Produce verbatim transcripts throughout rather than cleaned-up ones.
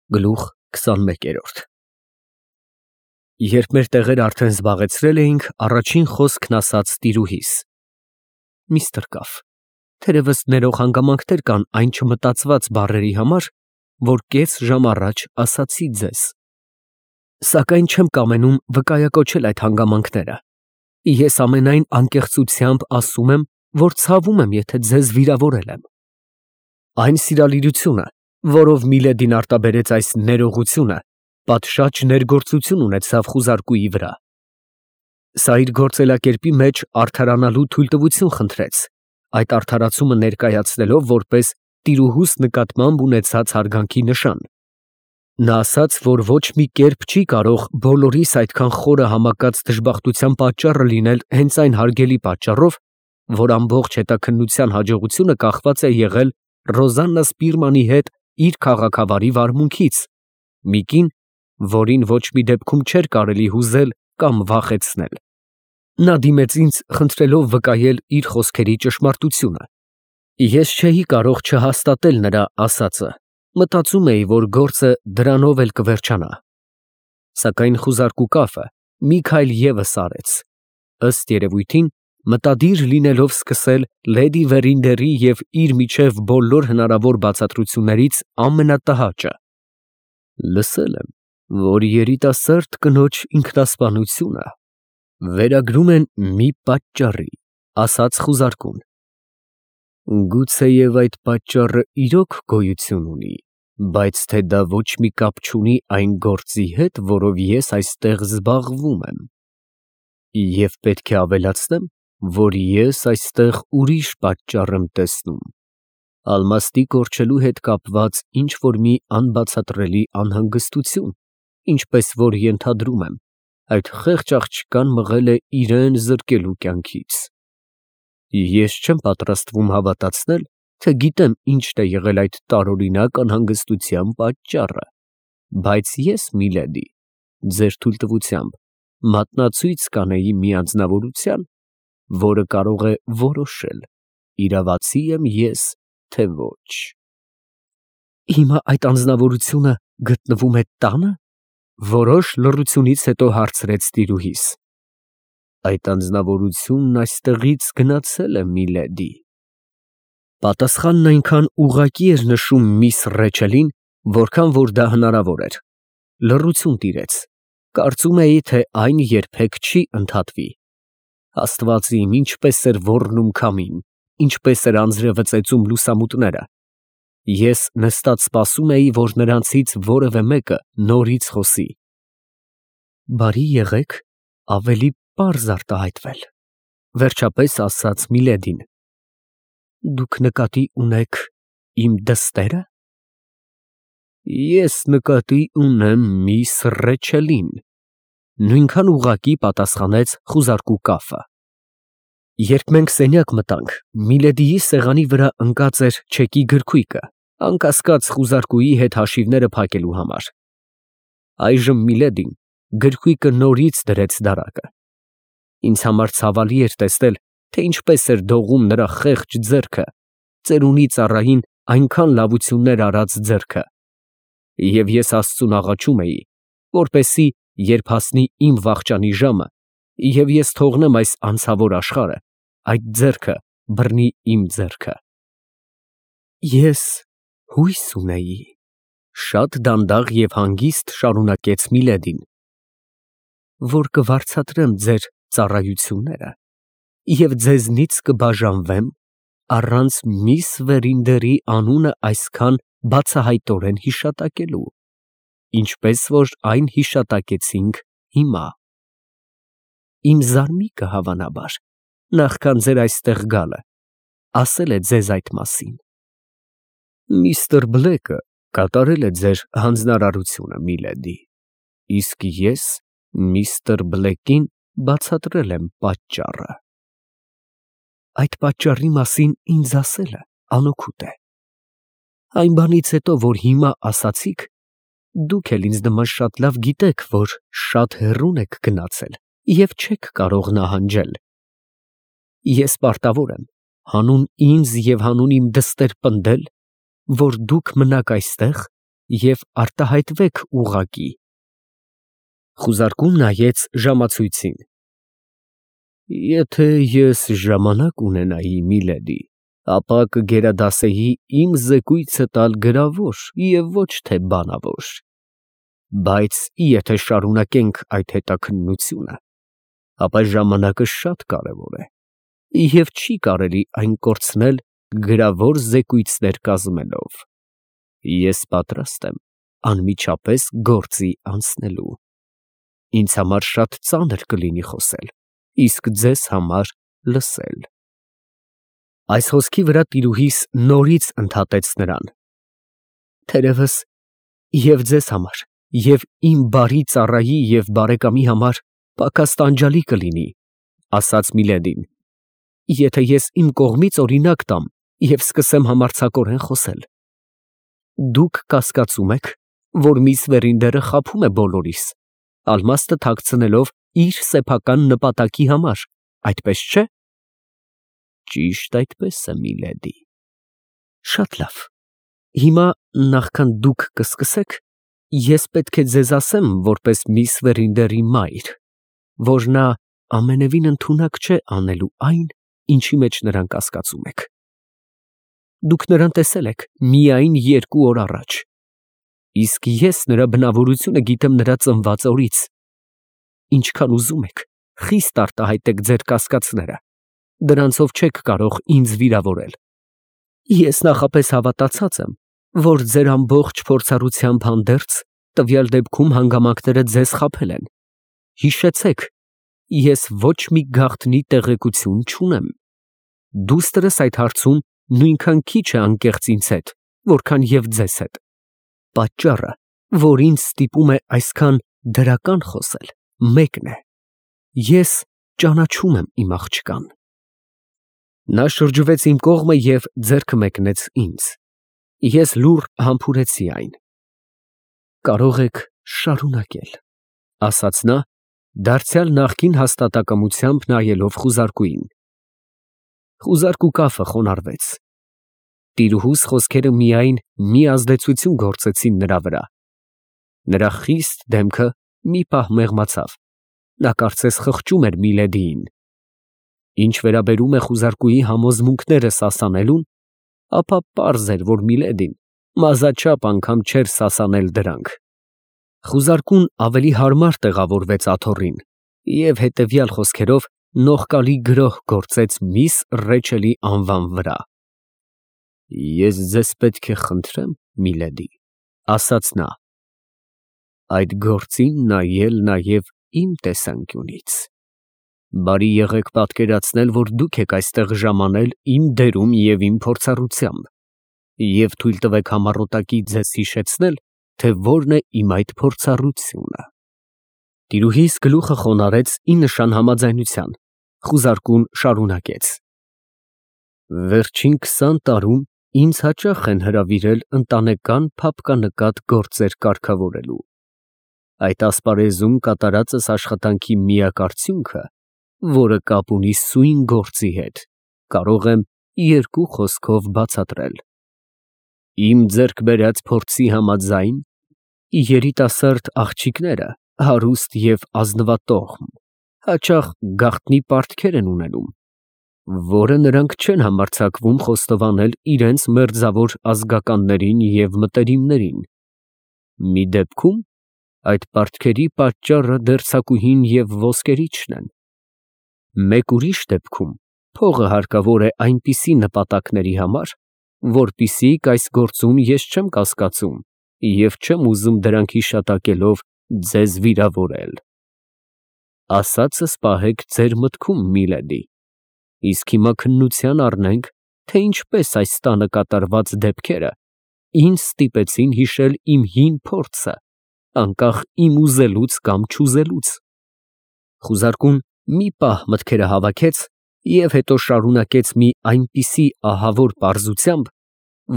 Գլուխ քսանմեկ։ Երբ մեր տեղերը արդեն զբաղեցրել էինք, առաջին խոսքն ասաց տիրուհիս. Միստր Կաֆ, թերևս ներող հանգամանքներ կան այն չմտածված բառերի համար, որ կես ժամ առաջ ասացի ձեզ։ Սակայն չեմ կամենում վկայակոչել այդ հանգամանքները։ Ես ամենայն անկեղծությամբ ասում եմ, որ ցավում եմ, եթե ձեզ վիրավորել եմ։ Այն սիրալիրությունը, որով Միլեդին արտաբերեց այս ներողությունը, պատշաճ ներգործություն ունեցավ խուզարկուի վրա։ Սա իր գործելակերպի մեջ արդարանալու թույլտվություն խնդրեց, այդ արդարացումը ներկայացնելով որպես տիրուհուս նկատմամբ ունեցած հարգանքի նշան։ Նա ասաց, որ ոչ մի կերպ չի կարող բոլորիս այդքան խորը համակած դժբախտության պատճառը լինել հենց այն հարգելի պատճառով, որ ամբողջ հետաքննության հաջողությունը կախված է եղել Ռոզաննա Սպիրմանի հետ իր քաղաքավարի վարմունքից, մի կին, որին ոչ մի դեպքում չէր կարելի հուզել կամ վախեցնել։ Նա դիմեց ինձ, խնդրելով վկայել իր խոսքերի ճշմարտությունը։ Ես չէի կարող չհաստատել նրա ասածը, մտածում էի, որ գործը դրանով էլ կվերջանա։ Սակայն խուզարկու Կաֆը մի քայլ ևս արեց, ըստ երևույթին, մտադիր լինելով սկսել լեդի Վերինդերի և իր միջև բոլոր հնարավոր բացատրություններից ամենատհաճը։ Լսել եմ, որ երիտասարդ կնոջ ինքնասպանությունը վերագրում են մի պատճառի, ասաց խուզարկուն։ Գուցեև այդ պատճառը իրոք գոյություն ունի, բայց թե դա ոչ մի կապ չունի այն գործի հետ, որով ես այստեղ զբաղվում եմ։ Եվ պետք է ավելացնեմ, որ ես այստեղ ուրիշ պատճառ եմ տեսնում, ալմաստի կորչելու հետ կապված ինչ-որ մի անբացատրելի անհանգստություն, ինչպես որ ենթադրում եմ, այդ խեղճ աղջկան մղել է իրան զրկելու կյանքից։ Ես չեմ պատրաստվում հավատացնել, թե գիտեմ ինչն է եղել այդ տարօրինակ անհանգստության պատճառը, բայց ես, Միլեդի, ձեր թույլտվությամբ մատնացույց կանեի մի անձնավորության, որը կարող է որոշել, իրավացի եմ ես, թե ոչ։ Հիմա այդ անձնավորությունը գտնվում է տա՞նը, որոշ լռությունից հետո հարցրեց տիրուհիս։ Այդ անձնավորությունն այստեղից գնացել է, Միլեդի։ Պատասխանն այնքան ուղղակի էր նշում միս Ռեչելին, որքան որ դա հնարավոր էր։ Լռություն տիրեց։ Կարծում էի, թե այն երբեք չի ընդհատվի։ Աստված իմ, ինչպես էր ոռնում քամին, ինչպես էր անձրևը ծեծում լուսամուտները։ Ես նստած սպասում էի, որ նրանցից որևէ մեկը նորից խոսի։ Բարի եղեք ավելի պարզ արտահայտվել, վերջապես ասաց Միլեդին։ Դուք նկատի ունեք իմ դստե՞րը։ Ես նկատի ունեմ միս Ռեչելին, նույնքան ուղղակի պատասխանեց խուզարկու Կաֆը։ Երբ մենք սենյակ մտանք, Միլեդիի սեղանի վրա ընկած էր չեկի գրքույկը, անկասկած խուզարկուի հետ հաշիվները փակելու համար։ Այժմ Միլեդին գրքույկը նորից դրեց դարակը։ Ինձ համար ցավալի էր տեսնել, թե ինչպես էր դողում նրա խեղճ ձեռքը, ծերունի ծառային այնքան լավություններ արած ձեռքը։ Եվ ես Աստծուն աղաչում էի, որպեսզի երբ հասնի իմ վախճանի ժամը, և ես թողնեմ այս անցավոր աշխարհը, այդ ձեռքը բռնի իմ ձեռքը։ Ես հույս ունեի, շատ դանդաղ և հանգիստ շարունակեց Միլեդին, որ կվարձատրեմ ձեր ծառայությունները և ձեզնից կբաժանվեմ առանց միս Վերինդերի անունը այսքան բացահայտորեն հիշատակելու, ինչպես որ այն հիշատակեցինք հիմա։ Իմ զարմիկը, հավանաբար, նախքան ձեր այստեղ գալը, ասել է ձեզ այդ մասին։ Միստր Բլեքը կատարել է ձեր հանձնարարությունը, Միլեդի, իսկ ես միստր Բլեկին բացատրել եմ պատճառը։ Այդ պատճառի մասին ինձ ասելը անօգուտ է։ Այն բանից հետո, որ հիմա ասացիք, դուք էլ ինձ նման շատ լավ գիտեք, որ շատ հեռուն եք գնացել և չեք կարող նահանջել։ Ես պարտավոր եմ հանուն ինձ և հանուն իմ դստեր պնդել, որ դուք մնաք այստեղ և արտահայտվեք ուղղակի։ Խուզարկուն նայեց ժամացույցին։ Եթե ես ժամանակ ունենայի, միլեդի, ապա կգերադասեի իմ զեկույցը տալ գրավոր և ոչ թե բանավոր, բայց եթե շարունակենք այդ հետաքննությունը, ապա ժամանակը շատ կարևոր է և չի կարելի այն կորցնել գրավոր զեկույցներ կազմելով։ Ես պատրաստ եմ անմիջապես գործի անցնելու։ Ինձ համար շատ ծանր կլինի խոսել, իսկ ձեզ համար լսել։ Այս խոսքի վրա տիրուհիս նորից ընդհատեց նրան. Թերևս և ձեզ համար, և իմ բարի ծառայի և բարեկամի համար պակաս տանջալի կլինի, ասաց Միլեդին, եթե ես իմ կողմից օրինակ տամ և սկսեմ համարձակորեն խոսել։ Դուք կասկածում եք, որ միս Վերինդերը խաբում է բոլորիս, ալմաստը թաքցնելով իր սեփական նպատակի համար, այդպես չէ։ Ճիշտ այդպես է, միլեդի։ Շատ լավ, հիմա նախքան դուք կսկսեք, ես պետք է ձեզ ասեմ, որպես միս Վերինդերի մայր, որ նա ամենևին ընդունակ չէ անելու այն, ինչի մեջ նրան կասկածում եք։ Դուք նրան տեսել եք միայն երկու օր առաջ, իսկ ես նրա բնավորությունը գիտեմ նրա ծնված օրից։ Ինչքան ուզում եք, խիստ արտահայտեք ձեր կասկածները, դրանցով չեք կարող ինձ վիրավորել։ Ես նախապես հավատացած եմ, որ ձեր ամբողջ փորձառությամբ հանդերձ տվյալ դեպքում հանգամանքները ձեզ խաբել են։ Հիշեցեք, ես ոչ մի գաղտնի տեղեկություն չունեմ։ Դուստրս այդ հարցում նույնքան քիչ է անկեղծ ինձ հետ, որքան և ձեզ հետ։ Պատճառը, որ ինձ ստիպում է այսքան դրական խոսել, մեկն է. ես ճանաչում եմ իմ աղջկան։ Նա շրջվեց իմ կողմը և ձեռքը մեկնեց ինձ։ Ես լուռ համբուրեցի այն։ Կարող եք շարունակել, ասաց նա, դարձյալ նախկին հաստատակամությամբ նայելով խուզարկուին։ Խուզարկու կապը խոնարհվեց։ Տիրուհուս խոսքերը միայն մի ազդեցություն գործեցին նրա վրա։ Նրա խիստ դեմքը մի պահ մեղմացավ, նա կարծես խղճում էր Միլեդիին։ Ինչ վերաբերում է խուզարկուի համոզմունքները սասանելուն, ապա պարզ էր, որ Միլեդին մազաչափ անգամ չէր սասանել դրանք։ Խուզարկուն ավելի հարմար տեղավորվեց աթոռին և հետևյալ խոսքերով նողկալի գրոհ գործեց միս Ռեչելի անվան վրա։ Ես ձեզ պետք է խնդրեմ, միլեդի, ասաց նա, այդ գործին նայել նաև իմ տեսանկյունից։ Բարի եղեք պատկերացնել, որ դուք եք այստեղ ժամանել իմ դերում և իմ փորձառությամբ, և թույլ տվեք համառոտակի ձեզ հիշեցնել, թե որն է իմ այդ փորձառությունը։ Տիրուհիս գլուխը խոնարհեց ի նշան համաձայնության, խուզարկուն շարունակեց. Վերջին քսան տարում ինձ հաճախ են հրավիրել ընտանեկան փափկանկատ գործեր կարգավորելու։ Այդ ասպարեզում կատարածս աշխատանքի միակ արդյունքը, որը կապ ունի սույն գործի հետ, կարող եմ երկու խոսքով բացատրել։ Իմ ձեռք բերած փորձի համաձայն, երիտասարդ աղջիկները հարուստ և ազնվատոհմ, հաճախ գաղտնի պարտքեր են ունենում, որը նրանք չեն համարձակվում խոստովանել իրենց մերձավոր ազգականներին և մտերիմներին։ Մի դեպքում այդ պարտքերի պատճառը դերձակուհին և ոսկերիչն են։ Մեկ ուրիշ դեպքում փողը հարկավոր է այնպիսի նպատակների համար, որպիսիք այս գործում ես չեմ կասկածում և չեմ ուզում դրանք հիշատակելով ձեզ վիրավորել։ Ասածս պահեք ձեր մտքում, միլեդի, իսկ հիմա քննության առնենք, թե ինչպես այս տանը կատարված դեպքերը ինձ ստիպեցին հիշել իմ հին փորձը, անկախ իմ ուզելուց կամ չուզելուց։ Խուզարկուն մի պահ մտքերը հավաքեց և հետո շարունակեց մի այնպիսի ահավոր պարզությամբ,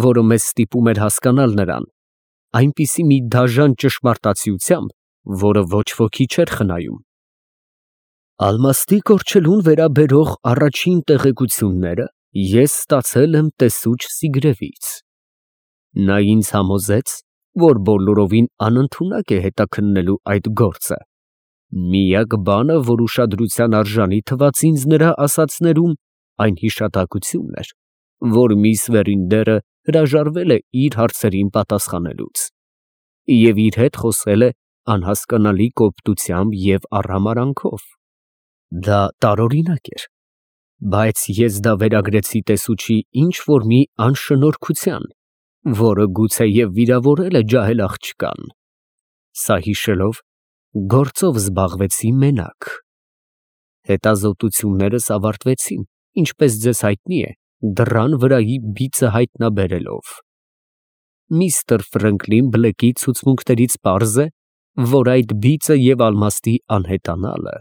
որը մեզ ստիպում էր հասկանալ նրան, այնպիսի մի դաժան ճշմարտացիությամբ, որը ոչ ոքի չէր խնայում։ Ալմաստի կորչելուն վերաբերող առաջին տեղեկությունները ես ստացել եմ տեսուչ Սիգրևից։ Նա ինձ համոզեց, որ բոլորովին անընդունակ է հետաքննելու այդ գործը։ Միակ բանը, որ ուշադրության արժանի թվաց ինձ նրա ասածներում, այն հիշատակությունն էր, որ միս Վերինդերը հրաժարվել է իր հարցերին պատասխանելուց և իր հետ խոսել է անհասկանալի կոպտությամբ և արհամարհանքով։ Դա տարօրինակ էր, բայց ես դա վերագրեցի տեսուչի ինչ֊որ մի անշնորհքության, որը գուցեև վիրավորել է ջահել աղջկան։ Սա հիշելով, գործով զբաղվեցի մենակ։ Հետազոտություններս ավարտվեցին, ինչպես ձեզ հայտնի է, դռան վրայի բիծը հայտնաբերելով։ Միստր Ֆրանկլին Բլեքի ցուցմունքներից պարզ է, որ այդ բիծը և ալմաստի անհետանալը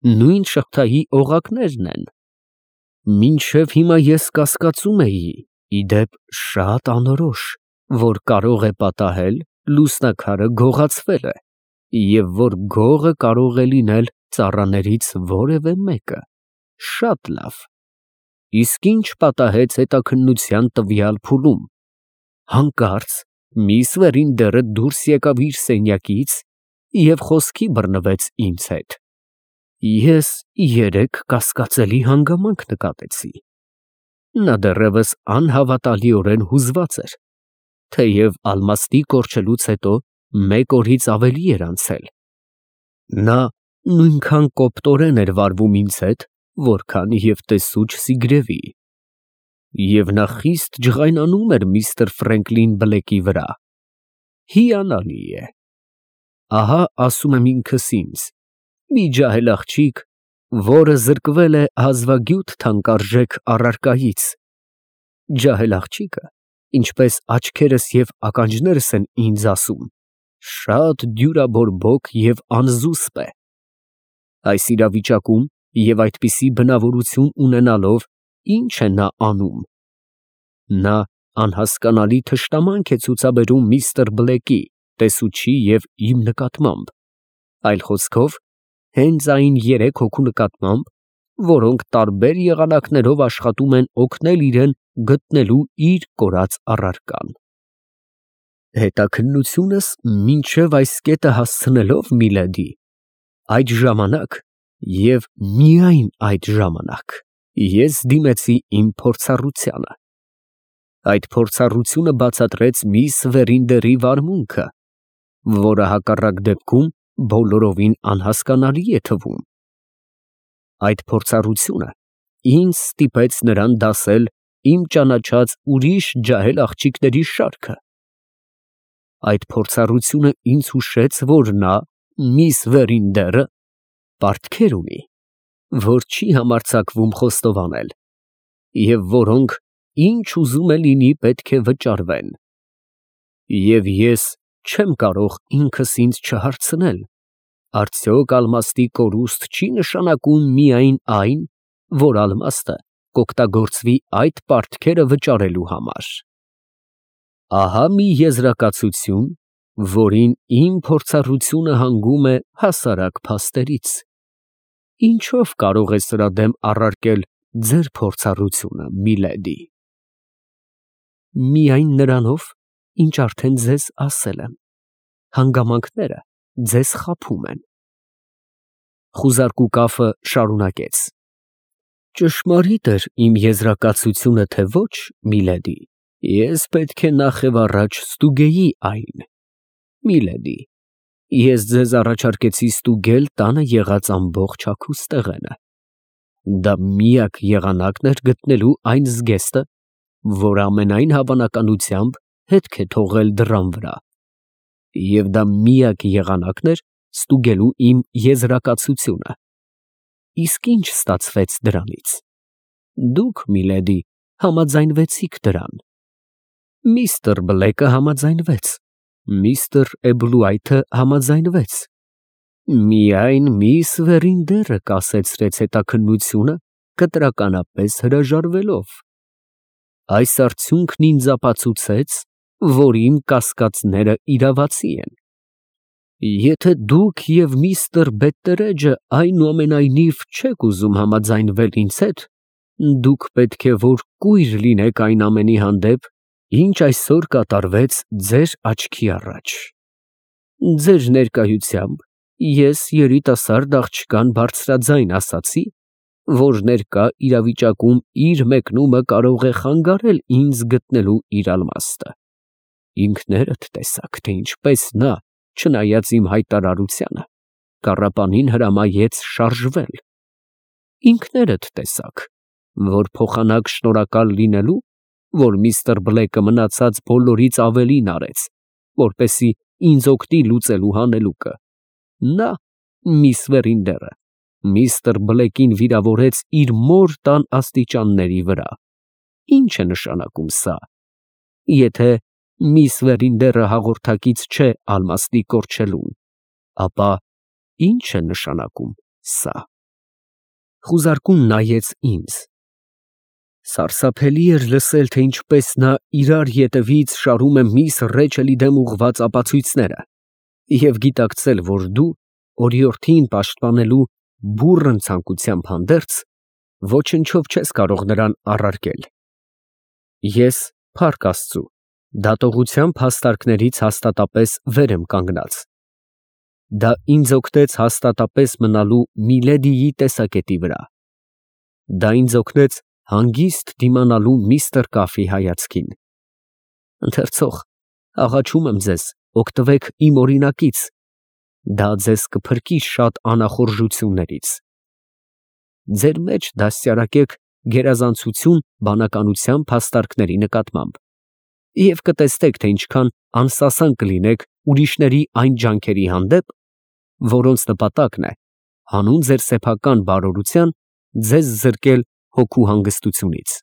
նույն շղթայի օղակներն են։ Մինչև հիմա ես կասկածում էի, ի դեպ, շատ անորոշ, որ կարող է պատահել լուսնաքարը գողացվել է, և որ գողը կարող է լինել ծառաներից որևէ մեկը։ Շատ լավ։ Իսկ ի՞նչ պատահեց հետաքննության տվյալ փուլում։ Հանկարծ միս Վերինդերը դուրս եկավ իր սենյակից և խոսքի բռնվեց ինձ հետ։ Ես երեք կասկածելի հանգամանք նկատեցի։ Նա դեռևս անհավատալիորեն հուզված էր, թեև ալմաստի կորչելուց հետո մեկ օրից ավելի էր անցել։ Նա նույնքան կոպտորեն էր վարվում ինձ հետ, որքան և տեսուչ Սիգրևի, և նա խիստ ջղայնանում էր միստր Ֆրանկլին Բլեքի վրա։ Հիանալի է։ Ահա, ասում եմ ինքս ինձ, մի ջահել աղջիկ, որը զրկվել է հազվագյուտ թանկարժեք առարկայից։ Ջահել աղջիկը, ինչպես աչքերս և ականջներս են ինձ ասում, շատ դյուրաբորբոք և անզուսպ է։ Այս իրավիճակում և այդպիսի բնավորություն ունենալով, ի՞նչ է նա անում։ Նա անհասկանալի թշնամանք է ցուցաբերում միստր Բլեկի, տեսուչի և իմ նկատմամբ, այլ խոսքով, հենց այն երեք հոգու նկատմամբ, որոնք տարբեր եղանակներով աշխատում են օգնել իրան գտնելու իր կորած առարկան։ Հետաքննությունս մինչև այս կետը հասցնելով, միլեդի, այդ ժամանակ և միայն այդ ժամանակ ես դիմեցի իմ փորձառությանը։ Այդ փորձառությունը բացատրեց միս Վերինդերի վարմունքը, որը հակառակ դեպքում բոլորովին անհասկանալի է թվում։ Այդ փորձառությունը ինձ ստիպեց նրան դասել իմ ճանաչած ուրիշ ջահել աղջիկների շարքը։ Այդ փորձառությունը ինձ հուշեց, որ նա, միս Վերինդերը, պարտքեր ունի, որ չի համարձակվում խոստովանել, և որոնք, ինչ ուզում է լինի, պետք է վճարվեն։ Եվ ես չեմ կարող ինքս ինձ չհարցնել. արդյոք ալմաստի կորուստ չի նշանակում միայն այն, որ ալմաստը կօգտագործվի այդ պարտքերը վճարելու համար։ Ահա մի եզրակացություն, որին իմ փորձառությունը հանգում է հասարակ փաստերից։ Ինչո՞վ կարող է սրա դեմ առարկել ձեր փորձառությունը, միլեդի։ Միայն նրանով, ինչ արդեն ձեզ ասել եմ։ Հանգամանքները ձեզ խաբում են։ Խուզարկու կապը շարունակեց. Ճշմարիտ էր իմ եզրակացությունը, թե ոչ, միլեդի, ես պետք է նախ և առաջ ստուգեի այն։ Միլեդի, ես ձեզ առաջարկեցի ստուգել տանը եղած ամբողջ հագուստեղենը։ Դա միակ եղանակն էր գտնելու այն զգեստը, որը ամենայն հավանականությամբ հետք է թողել դռան վրա, և դա միակ եղանակն էր ստուգելու իմ եզրակացությունը։ Իսկ ի՞նչ ստացվեց դրանից։ Դուք, միլեդի, համաձայնվեցիք դրան։ Միստր Բլեկը համաձայնվեց, միստր Էբլուայթը համաձայնվեց, միայն միս Վերինդերը կասեցրեց հետաքննությունը, կտրականապես հրաժարվելով։ Այս արդյունքն ինձ ապացուցեց, որ իմ կասկածները իրավացի են։ Եթե դուք և միստր Բետտերեջը այնուամենայնիվ չեք ուզում համաձայնվել ինձ հետ, դուք պետք է որ կույր լինեք այն ամենի հանդեպ, Ինչ այսօր կատարվեց ձեր աչքի առաջ։ Ձեր ներկայությամբ ես երիտասարդ աղջկան բարձրաձայն ասացի, որ ներկա իրավիճակում իր մեկնումը կարող է խանգարել ինձ գտնելու իր ալմաստը։ Ինքներդ տեսաք, թե ինչպես նա, չնայած իմ հայտարարությանը, կառապանին հրամայեց շարժվել։ Ինքներդ տեսաք, որ փոխանակ շնորհակալ լինելու, որ միստր Բլեքը մնացած բոլորից ավելին արեց, որպեսզի ինձ օգնի լուծելու հանելուկը, նա, միս Վերինդերը, միստր Բլեկին վիրավորեց իր մոր տան աստիճանների վրա։ Ինչ է նշանակում սա։ Եթե միս Վերինդերը հաղորդակից չէ ալմաստի կորչելուն, ապա ինչ է նշանակում սա։ Խուզարկուն նայեց ինձ։ Սարսափելի էր լսել, թե ինչպես նա իրար ետևից շարում է միս Ռեչելի դեմ ուղղված ապացույցները, և գիտակցել, որ դու օրիորդին պաշտպանելու բուռն ցանկությամբ հանդերձ, ոչնչով չես կարող նրան առարկել։ Ես, փառք Աստծու, դատողության փաստարկներից հաստատապես վեր եմ կանգնած։ Դա ինձ օգնեց հաստատապես մնալու Միլեդիի տեսակետի վրա։ Դա ինձ օգնեց հանգիստ դիմանալու միստր Կաֆի հայացքին։ Ընթերցող, աղաչում եմ ձեզ, օգտվեք իմ օրինակից, դա ձեզ կփրկի շատ անախորժություններից։ Ձեր մեջ դաստիարակեք գերազանցություն բանականության փաստարկների նկատմամբ և կտեսնեք, թե ինչքան անսասան կլինեք ուրիշների այն ջանքերի հանդեպ, որոնց նպատակն է հանուն ձեր սեփական բարօրության ձեզ զրկել հոգու հանգստությունից։